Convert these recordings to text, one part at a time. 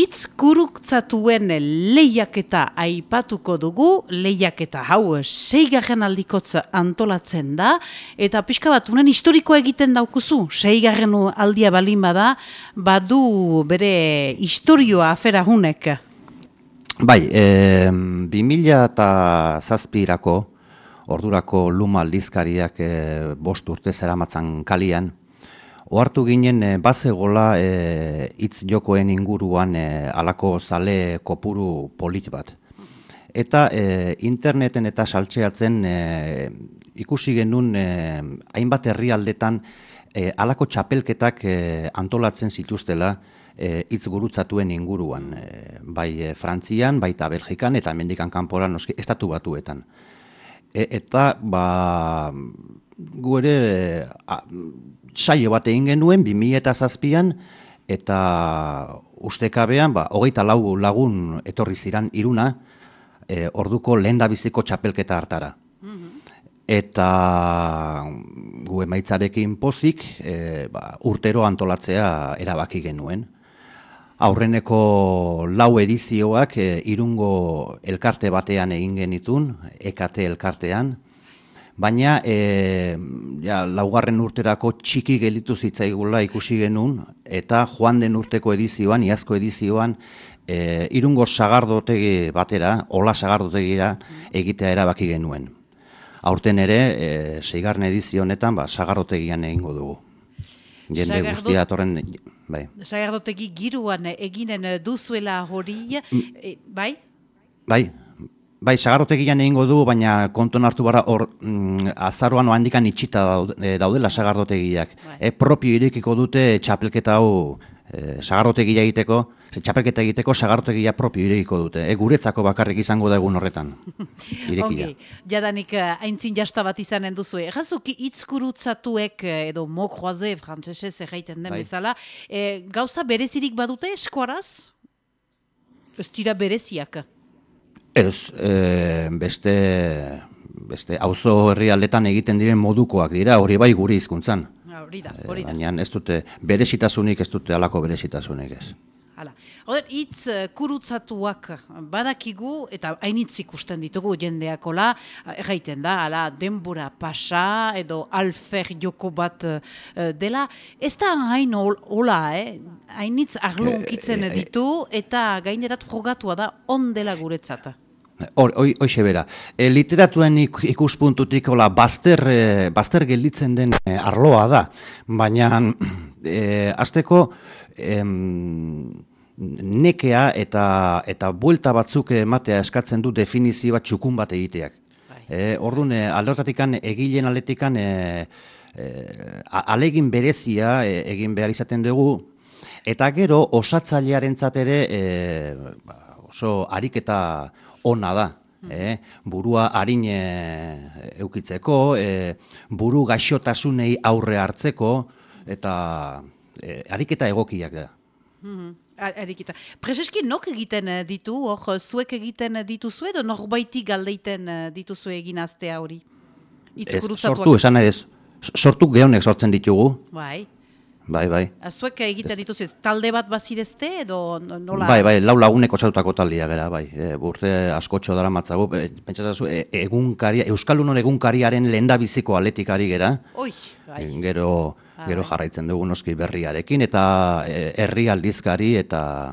Hitz gurutzatuen lehiaketa aipatuko dugu, lehiaketa hau 6. aldikotz antolatzen da, eta pixka bat, unen historikoa egiten daukuzu, 6. aldia balin bada, badu bere historioa afera hunek. Bai, 2007 ordurako Luma aldizkariak 5 urte zeramatzan kalian, ohartu ginen bazegola hitz jokoen inguruan halako zale kopuru polit bat. Eta interneten eta saltxeatzen ikusi genuen hainbat herrialdetan halako txapelketak antolatzen zituztela hitz gurutzatuen inguruan. Bai Frantzian, baita Belgikan eta hemendikan kanpora noski Estatu Batuetan. Eta gu ere saio bat egin genuen 2007an eta ustekabean 24 lagun etorri ziran Iruna orduko lehendabiziko txapelketa hartara. Eta gu emaitzarekin pozik urtero antolatzea erabaki genuen. Aurreneko 4 edizioak Irungo elkarte batean egin genitun, EKT elkartean, baina laugarren urterako txiki gelditu zitzaigula ikusi genuen, eta joan den urteko edizioan, iazko edizioan, Irungo sagardotegi batera, Ola sagardotegira egitea erabaki genuen. Aurten ere, 6. edizio honetan, sagardotegian egingo dugu. Jende guztia atorren, bai. Sagardotegi giruan eginen duzuela hori, bai? Bai, sagardotegian egingo du, baina konton hartu bara hor azaroan handikan itxita daudela sagardotegiak. Propio irekiko dute txapelketa hau sagardotegia egiteko, txapelketa egiteko sagardotegia propio irekiko dute. Guretzako bakarrik izango da egun horretan. Irekia. Jadanik aintzin jasta bat izanen duzu. Errazuki hitzgurutzatuek edo mot croisé frantsesez erraiten den bezala, gauza berezirik badute eskuaraz? Ez dira bereziak? Ez, beste auzo herrialdetan egiten diren modukoak dira, hori bai gure hizkuntzan. Hori da. Baina ez dute berezitasunik, ez dute halako berezitasunik ez. Hitz kurutzatuak badakigu, eta hainitz ikusten ditugu jendeakola, erraiten da, denbora pasa edo alfer joko bat dela. Ez da hain hola, hainitz arlo unkitzen ditu, eta gainerat frogatua da on dela guretzat. Hoxe bera. Literaturen ikuspuntutik bazter gelditzen den arloa da, baina hasteko nekea eta buelta batzuk ematea eskatzen du definizio bat txukun bat egiteak. Orduan, alde horretatik egileen aldetik alegin berezia egin behar izaten dugu, eta gero osatzailearentzat ere oso ariketa ona da. Burua harin eukitzeko, buru gaixotasunei aurre hartzeko, eta ariketa egokiak da. Ariketa. Prezeski nok egiten ditu, zuek egiten dituzu edo norbaitik galdeiten dituzu egin aztea hori? Sortu, esan nahi ez. Sortu gehonek sortzen ditugu. Bai. Bai. Zuek egiten dituzu ez, talde bat bazirezte edo nola? Bai, 4 lagunek osatutako taldea gara, bai. Urte askotxo dara matzago, pentsatzazu, Euskaldunon egunkariaren lehendabiziko aletikari gera. Bai. Gero jarraitzen dugu noski berriarekin, eta herri aldizkari, eta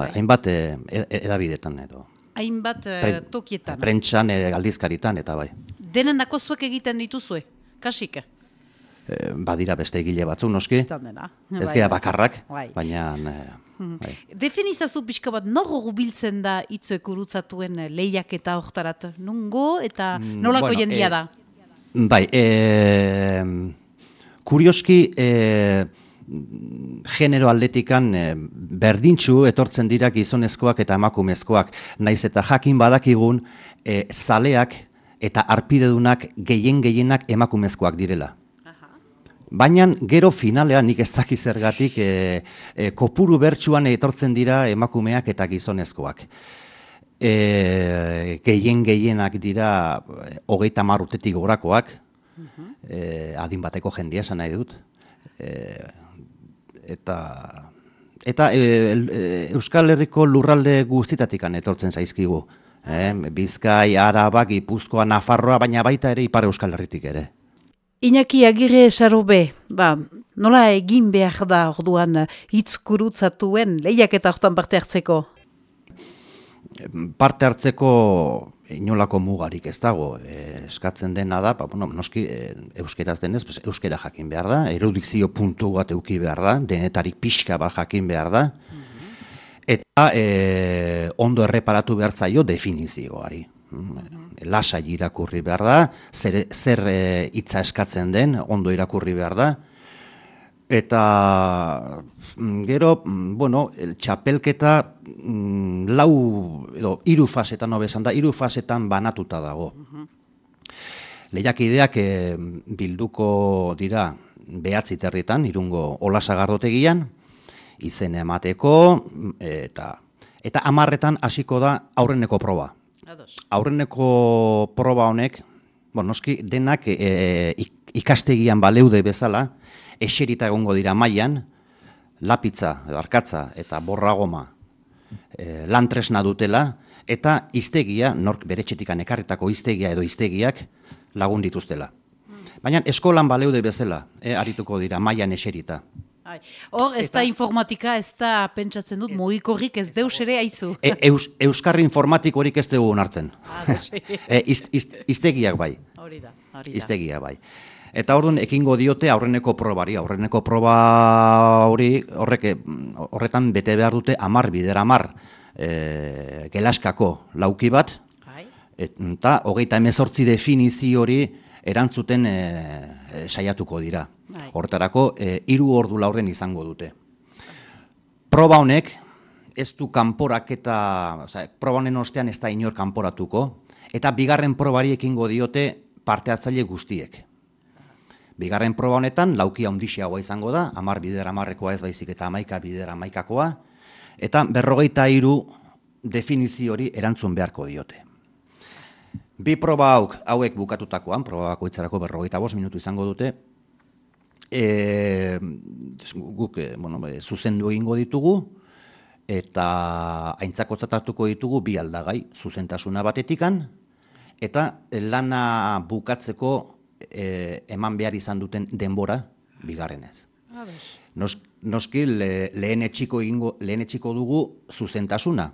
hainbat edabidetan edo. Hainbat tokietan. Prentsan, aldizkaritan, eta bai. Denendako zuek egiten dituzue, kasik? Badira beste egile batzuk noski, ez gara bakarrak, baina... Definizazu pixka bat, nor biltzen da hitz gurutzatuen lehiaketa hortarat? Nungo eta nolako jendia da? Bai, kurioski genero aldetikan berdintxu etortzen dira gizonezkoak eta emakumezkoak, naiz eta jakin badakigun zaleak eta arpidedunak gehienak emakumezkoak direla. Baina gero finalean nik ez dakiz zergatik kopuru bertsuan etortzen dira emakumeak eta gizonezkoak. Gehienak dira 30 urtetik gorakoak, adin bateko jendia esan nahi dut. Eta Eta Euskal Herriko lurralde guztitatik etortzen zaizkigu. Bizkai, Araba, Gipuzkoa, Nafarroa, baina baita ere Ipar Euskal Herritik ere. Iñaki Agirre Sarobe, nola egin behar da orduan hitz gurutzatuen lehiaketa hortan parte hartzeko? Parte hartzeko inolako mugarik ez dago, eskatzen dena da, noski euskeraz denez, euskera jakin behar da, erudikzio puntu bat eduki behar da, denetarik pixka bat jakin behar da, eta ondo erreparatu behar zaio definizioari. Lasai irakurri behar da, zer hitza eskatzen den, ondo irakurri behar da, eta gero, txapelketa hiru fasetan hobesan da, hiru fasetan banatuta dago. Lehiakideak bilduko dira 9 herritan, Irungo Olasagardotegian, izena emateko, eta 10etan hasiko da aurreneko proba. Aurreneko proba honek, noski denak ikastegian baleude bezala, eserita egongo dira mailan, lapitza, arkatza eta borragoma lantresna dutela, eta hiztegia, nork bere etxetikan ekarritako hiztegia edo hiztegiak lagun dituztela. Baina eskolan baleude bezala, arituko dira mailan eserita. Hor, ez da informatika, ez da pentsatzen dut, mugikorrik ez deus ere aizu. Euskarri informatikorik ez dugu onartzen. Hiztegiak bai. Hori da. Hiztegia bai. Eta orduan ekingo diote aurreneko probari. Aurreneko proba horretan bete behar dute 10 gelaskako lauki bat, eta 38 definizio hori erantzuten saiatuko dira. Horretarako 3 ordu laurden izango dute. Proba honek ez du kanporaketa, proba honen ostean ez da inor kanporatuko, eta bigarren probari ekingo diote parte hartzaile guztiek. Bigarren proba honetan lauki handiagoa izango da, 10 ez baizik eta 11 eta 43 definizio hori erantzun beharko diote. Bi proba hauek bukatutakoan, proba bakoitzarako 45 minutu izango dute, guk zuzendu egingo ditugu, eta aintzakotzat hartuko ditugu 2 aldagai, zuzentasuna batetikan, eta lana bukatzeko eman behar izan duten denbora bigarrenez. Noski lehenetsiko dugu zuzentasuna.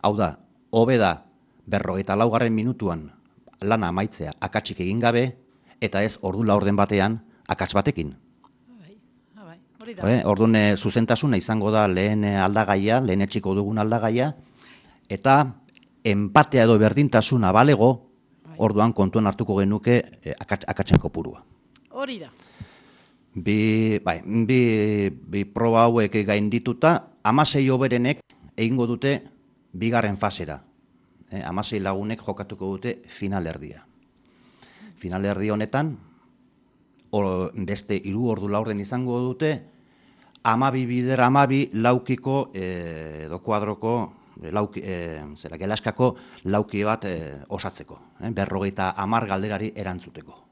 Hau da, hobe da 44. minutuan lana amaitzea akatsik egin gabe, eta ez ordu laurden batean akats batekin. Orduan zuzentasuna izango da lehen aldagaia, lehenetsiko dugun aldagaia, eta enpatea edo berdintasuna balego, orduan kontuan hartuko genuke akatsen kopurua. Hori da. Bi proba hauek gaindituta, 16 hoberenek egingo dute bigarren fasera. 16 lagunek jokatuko dute finalerdia. Finalerdi honetan, beste 3 ordu laurden izango dute, 12 laukiko edo kuadroko gelaskako lauki bat osatzeko, 50 galderari erantzuteko.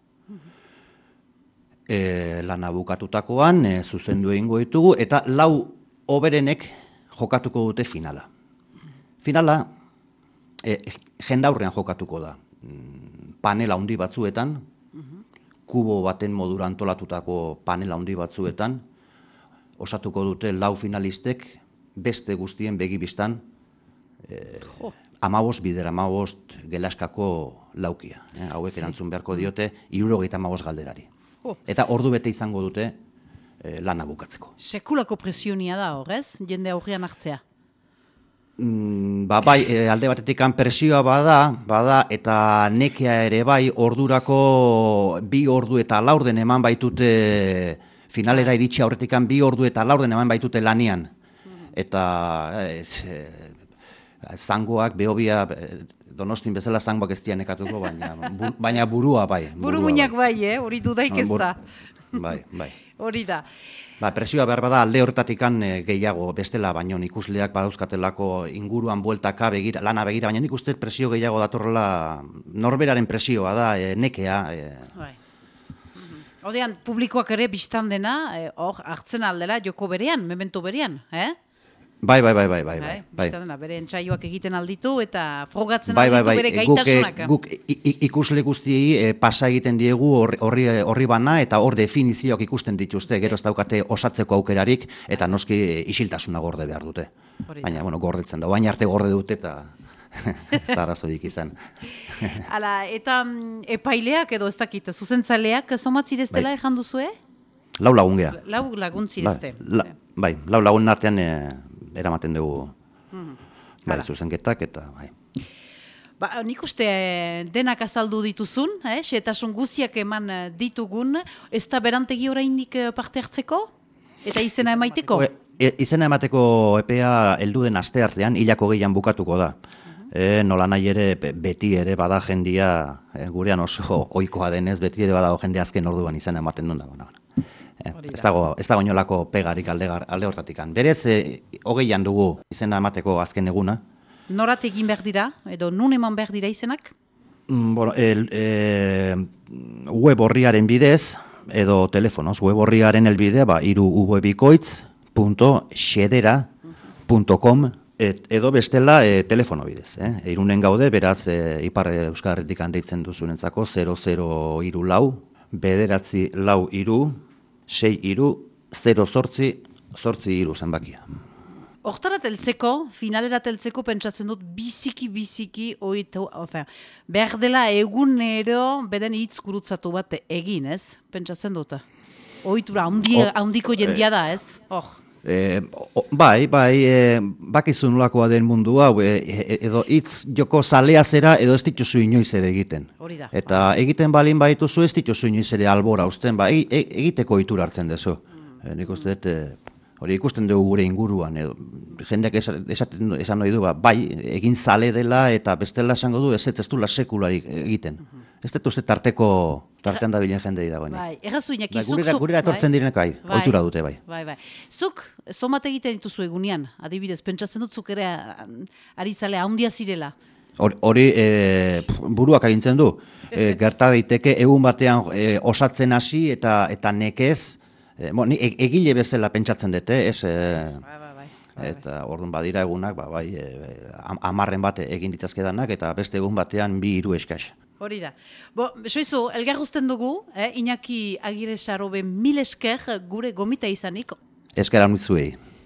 Lana bukatutakoan zuzendu egingo ditugu, eta 4 hoberenek jokatuko dute finala. Finala jendaurrean jokatuko da, panela handi batzuetan, kubo baten modura antolatutako panela handi batzuetan, osatuko dute 4 finalistek beste guztien begibistan 15 gelaskako laukia. Hauek erantzun beharko diote 75 galderari. Eta ordu bete izango dute lana bukatzeko. Sekulako presionia da horrez, jende aurrean hartzea? Bai, alde batetik presioa bada, eta nekea ere bai, ordurako 2 ordu eta laurden eman baitute, finalera iritsi aurretik 2 ordu eta laurden eman baitute lanian. Eta zangoak, behobia, Donostin bezala zangoak ez dian ekatuko, baina burua bai. Buru-muinak bai, hori dudaik ez da. Bai. Hori da. Presioa behar bada alde horretatik gehiago, bestela, baino ikusleak badauzkatelako inguruan bueltaka lana begira, baina nik uste presio gehiago datorrela, norberaren presioa da, nekea. Odean, publikoak ere biztan dena, hor, hartzen aldela joko berean, memento berean, Bai. Biztan dena, bere entsaioak egiten alditu eta frogatzen Bai. alditu bere gaitasunak. Guk ikusle guztiei pasa egiten diegu horri bana eta hor definizioak ikusten dituzte, gero ez daukate osatzeko aukerarik eta noski isiltasuna gorde behar dute. Baina, gordetzen da, baina arte gorde dute eta ez da arazoik izan. Hala, eta epaileak edo ez dakit, zuzentzaleak somatzireztela ejan duzue? Lau lagun geha. Lau laguntzirezte. Bai, lau lagun artean eramaten dugu zuzenketak eta bai. Nik uste denak azaldu dituzun, xetasun guziak eman ditugun, ez da berantegi oraindik parte hartzeko? Eta izena emaiteko? Izena emateko epea heldu den aste artean, hilako gehian bukatuko da. Nola nahi ere, beti ere bada jendia, gurean oso ohikoa denez, beti ere badago jende azken orduan izena ematen duen da. Ez dago inolako pegarik alde hortatik. Berez, hogeian dugu izena emateko azken eguna. Norat egin behar dira, edo nun eman behar dira izenak? Web horriaren bidez, edo telefonoz, web horriaren elbidea, irubebikoitz.xedera.com edo bestela telefono bidez. Irunen gaude, beraz, Ipar Euskal Herritik handeitzen duzunentzako 0034 lau, 963 zenbakia. Hortarat heltzeko, finalerat heltzeko pentsatzen dut biziki behar dela egunero beden hitz gurutzatu bat egin, ez? Pentsatzen dut. Ohitura handiko jendia da, ez? Bai, bakizu nolakoa den mundu hau, edo hitz joko zalea zera edo ez dituzu inoiz ere egiten. Eta egiten balin baituzu ez dituzu inoiz ere albora uzten, egiteko ohitura hartzen dezu. Nik uste dut, hori ikusten dugu gure inguruan, jendeak esan nahi du, bai, egin zale dela eta bestela esango du ez dula sekularik egiten. Ez dut uste tartean dabilen jendei dagoen. Bai, errazu inaki, Gurera etortzen direnek bai, ohitura dute bai. Bai. Zuk, zomat egiten dituzu egunean, adibidez, pentsatzen dut zuk ere ari zale handia zirela. Hori buruak agintzen du. Gerta daiteke egun batean osatzen hasi eta nekez, egile bezala pentsatzen dute, ez? Eta orduan badira egunak, 10 bat egin ditzazkedanak eta beste egun batean 2-3 eskas. Hori da. Soizu, elgar guzten dugu, Iñaki Agirre Sarobe 1000 esker gure gomita izanik. Esker amitzuei.